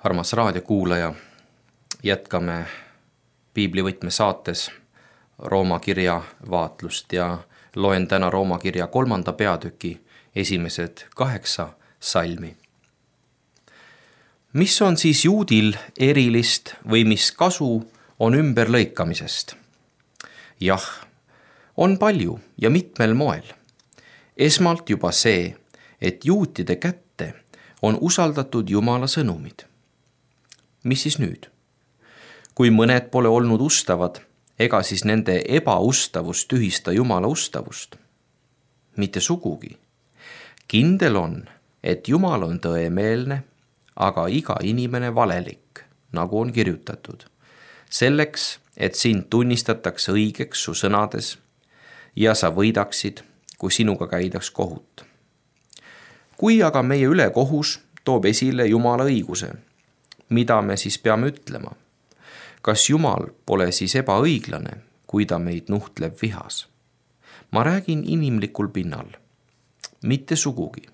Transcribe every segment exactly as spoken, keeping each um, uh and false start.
Armas raadiokuulaja, jätkame piiblivõtme saates Rooma kirja vaatlust ja loen täna Rooma kirja kolmanda peatüki esimesed kaheksa salmi. Mis on siis juudil erilist või mis kasu on ümberlõikamisest? Jah, on palju ja mitmel moel. Esmalt juba see, et juutide kätte on usaldatud Jumala sõnumid. Mis siis nüüd? Kui mõned pole olnud ustavad, ega siis nende ebaustavust tühista Jumala ustavust? Mitte sugugi. Kindel on, et Jumal on tõemeelne, aga iga inimene valelik, nagu on kirjutatud. Selleks, et sind tunnistatakse õigeks su sõnades ja sa võidaksid, kui sinuga käidaks kohut. Kui aga meie ülekohus toob esile Jumala õiguse, mida me siis peame ütlema? Kas Jumal pole siis ebaõiglane, kui ta meid nuhtleb vihas? Ma räägin inimlikul pinnal. Mitte sugugi.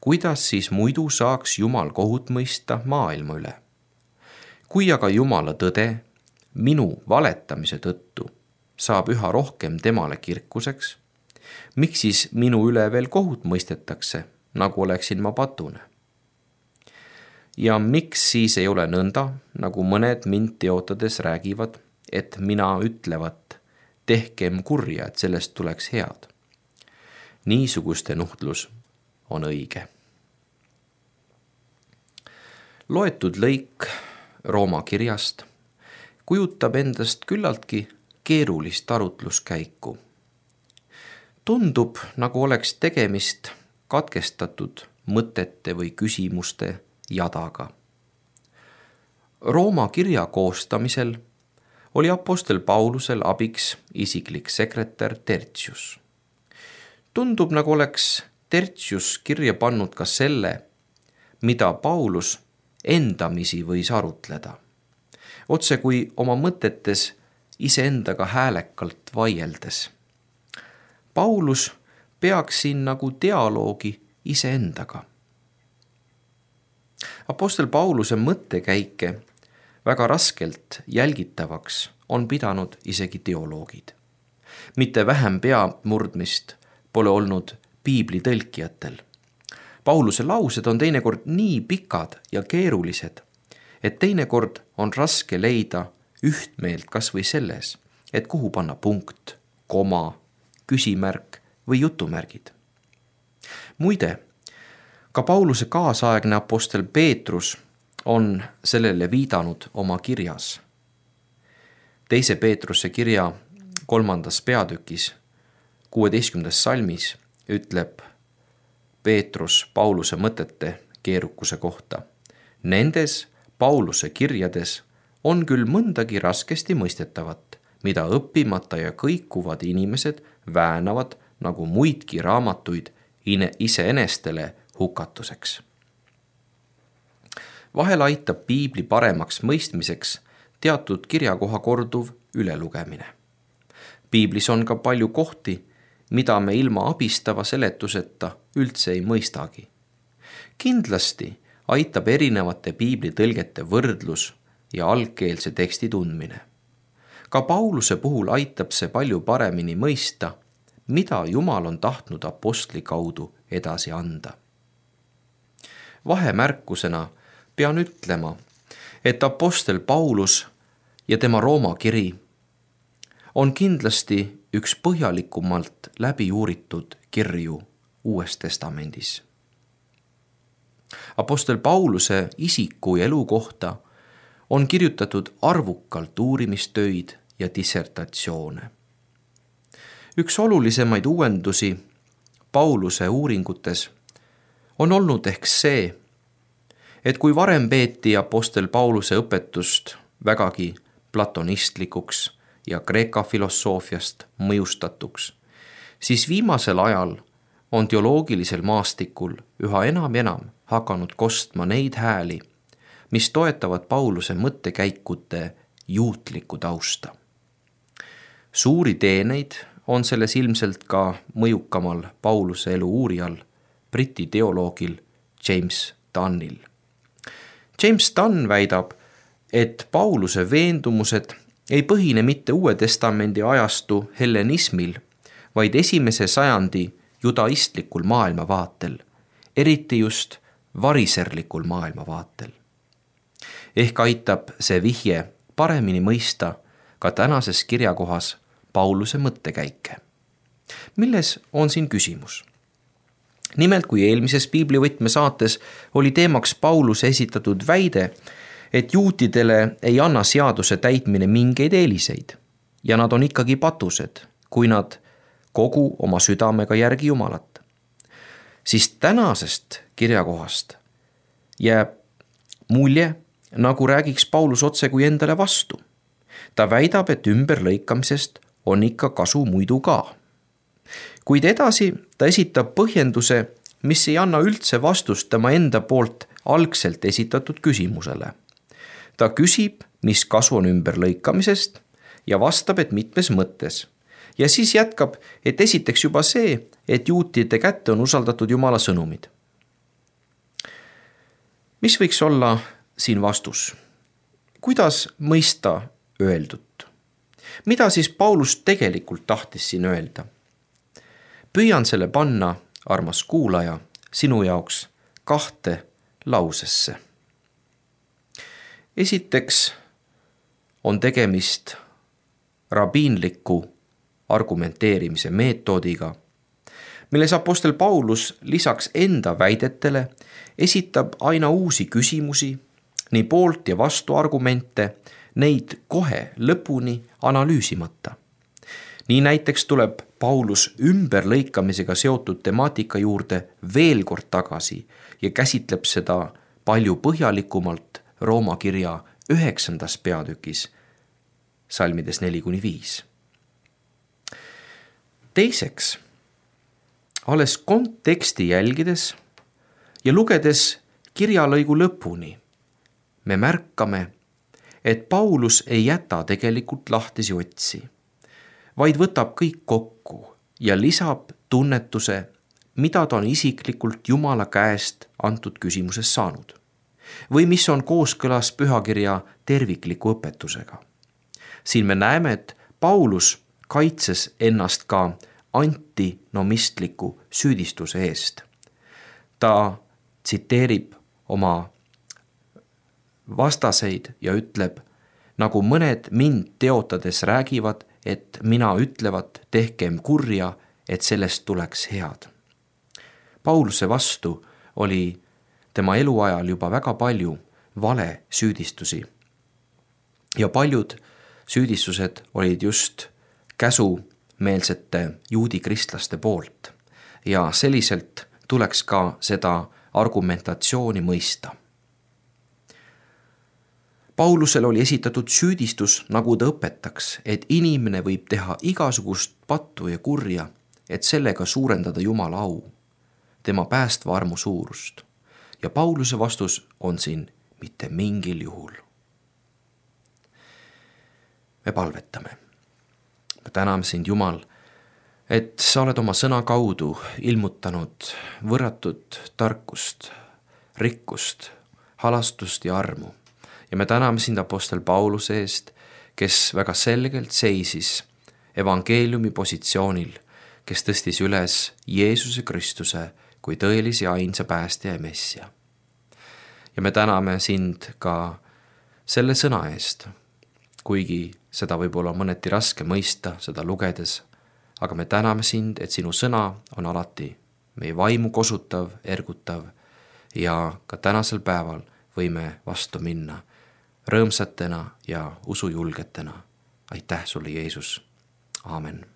Kuidas siis muidu saaks Jumal kohut mõista maailma üle? Kui aga Jumala tõde minu valetamise tõttu saab üha rohkem temale kirkuseks, miks siis minu üle veel kohut mõistetakse, nagu oleksin ma patune? Ja miks siis ei ole nõnda, nagu mõned mind teotades räägivad, et mina ütlevat, tehkem kurja, et sellest tuleks head. Niisuguste nuhtlus on õige. Loetud lõik Rooma kirjast kujutab endast küllaltki keerulist arutluskäiku. Tundub, nagu oleks tegemist katkestatud mõtete või küsimuste jadaga. Rooma kirja koostamisel oli apostel Paulusel abiks isiklik sekretär Tertius. Tundub, nagu oleks Tertius kirja pannud ka selle, mida Paulus endamisi võis arutleda. Otse kui oma mõtetes iseendaga häälekalt vaieldes. Paulus peaks siin nagu dialoogi iseendaga. Apostel Pauluse mõttekäike väga raskelt jälgitavaks on pidanud isegi teoloogid. Mitte vähem peamurdmist pole olnud piibli tõlkijatel. Pauluse laused on teinekord nii pikad ja keerulised, et teinekord on raske leida ühtmeelt kas või selles, et kuhu panna punkt, koma, küsimärk või jutumärgid. Muide, ka Pauluse kaasaegne apostel Peetrus on sellele viidanud oma kirjas. Teise Peetruse kirja kolmandas peatükis, kuueteistkümnendas salmis ütleb Peetrus Pauluse mõtete keerukuse kohta. Nendes Pauluse kirjades on küll mõndagi raskesti mõistetavat, mida õppimata ja kõikuvad inimesed väänavad nagu muidki raamatuid iseenestele hukatuseks. Vahel aitab piibli paremaks mõistmiseks teatud kirjakoha korduv ülelugemine. Piiblis on ka palju kohti, mida me ilma abistava seletuseta üldse ei mõistagi. Kindlasti aitab erinevate piibli tõlgete võrdlus ja algkeelse teksti tundmine. Ka Pauluse puhul aitab see palju paremini mõista, mida Jumal on tahtnud apostli kaudu edasi anda. Vahemärkusena pean ütlema, et apostel Paulus ja tema Rooma kiri on kindlasti üks põhjalikumalt läbi uuritud kirju Uues Testamendis. Apostel Pauluse isiku ja elu kohta on kirjutatud arvukalt uurimistöid ja dissertatsioone. Üks olulisemaid uuendusi Pauluse uuringutes on olnud ehk see, et kui varem peeti apostel Pauluse õpetust vägagi platonistlikuks ja Kreeka filosoofiast mõjustatuks, siis viimasel ajal on teoloogilisel maastikul üha enam ja enam hakanud kostma neid hääli, mis toetavad Pauluse mõttekäikude juutlikku tausta. Suuri teeneid on selles ilmselt ka mõjukamal Pauluse elu uurijal, Briti teoloogil James Dunnil. James Dunn väidab, et Pauluse veendumused ei põhine mitte Uue Testamendi ajastu hellenismil, vaid esimese sajandi judaistlikul maailmavaatel, eriti just variserlikul maailmavaatel. Ehk aitab see vihje paremini mõista ka tänases kirjakohas Pauluse mõttekäike. Milles on siin küsimus? Nimelt, kui eelmises piiblivõtme saates oli teemaks Pauluse esitatud väide, et juutidele ei anna seaduse täitmine mingeid eeliseid ja nad on ikkagi patused, kui nad kogu oma südamega järgi Jumalat, siis tänasest kirjakohast jääb mulje, nagu räägiks Paulus otse kui endale vastu. Ta väidab, et ümberlõikamisest on ikka kasu muidu ka. Kuid edasi ta esitab põhjenduse, mis ei anna üldse vastust tema enda poolt algselt esitatud küsimusele. Ta küsib, mis kasu on ümberlõikamisest ja vastab, et mitmes mõttes. Ja siis jätkab, et esiteks juba see, et juutide kätte on usaldatud Jumala sõnumid. Mis võiks olla siin vastus? Kuidas mõista öeldut? Mida siis Paulus tegelikult tahtis siin öelda? Püüan selle panna, armas kuulaja, sinu jaoks kahte lausesse. Esiteks on tegemist rabiinliku argumenteerimise meetodiga, milles apostel Paulus lisaks enda väidetele esitab aina uusi küsimusi, nii poolt ja vastu argumente, neid kohe lõpuni analüüsimata. Nii näiteks tuleb Paulus ümberlõikamisega seotud temaatika juurde veel kord tagasi ja käsitleb seda palju põhjalikumalt Rooma kirja üheksandas peatükis, salmides neli kuni viis. Teiseks, alles konteksti jälgides ja lugedes kirjalõigu lõpuni, me märkame, et Paulus ei jäta tegelikult lahtisi otsi, vaid võtab kõik kokku ja lisab tunnetuse, mida ta on isiklikult Jumala käest antud küsimuses saanud või mis on kooskõlas pühakirja tervikliku õpetusega. Siin me näeme, et Paulus kaitses ennast ka antinomistliku süüdistuse eest. Ta tsiteerib oma vastaseid ja ütleb, nagu mõned mind teotades räägivad, et mina ütlevat, tehkem kurja, et sellest tuleks head. Pauluse vastu oli tema eluajal juba väga palju vale süüdistusi. Ja paljud süüdistused olid just käsumeelsete juudi kristlaste poolt. Ja selliselt tuleks ka seda argumentatsiooni mõista. Paulusel oli esitatud süüdistus, nagu ta õpetaks, et inimene võib teha igasugust pattu ja kurja, et sellega suurendada Jumala au, tema päästva armu suurust. Ja Pauluse vastus on siin mitte mingil juhul. Me palvetame. Me täname sind, Jumal, et sa oled oma sõna kaudu ilmutanud võrratut tarkust, rikkust, halastust ja armu. Ja me täname sind apostel Pauluse eest, kes väga selgelt seisis evangeeliumi positsioonil, kes tõstis üles Jeesuse Kristuse kui tõelise ja ainsa päästja ja messia. Ja me täname sind ka selle sõna eest, kuigi seda võib olla mõneti raske mõista, seda lugedes, aga me täname sind, et sinu sõna on alati meie vaimu kosutav, ergutav ja ka tänasel päeval võime vastu minna rõõmsatena ja usujulgetena. Aitäh sulle, Jeesus. Aamen.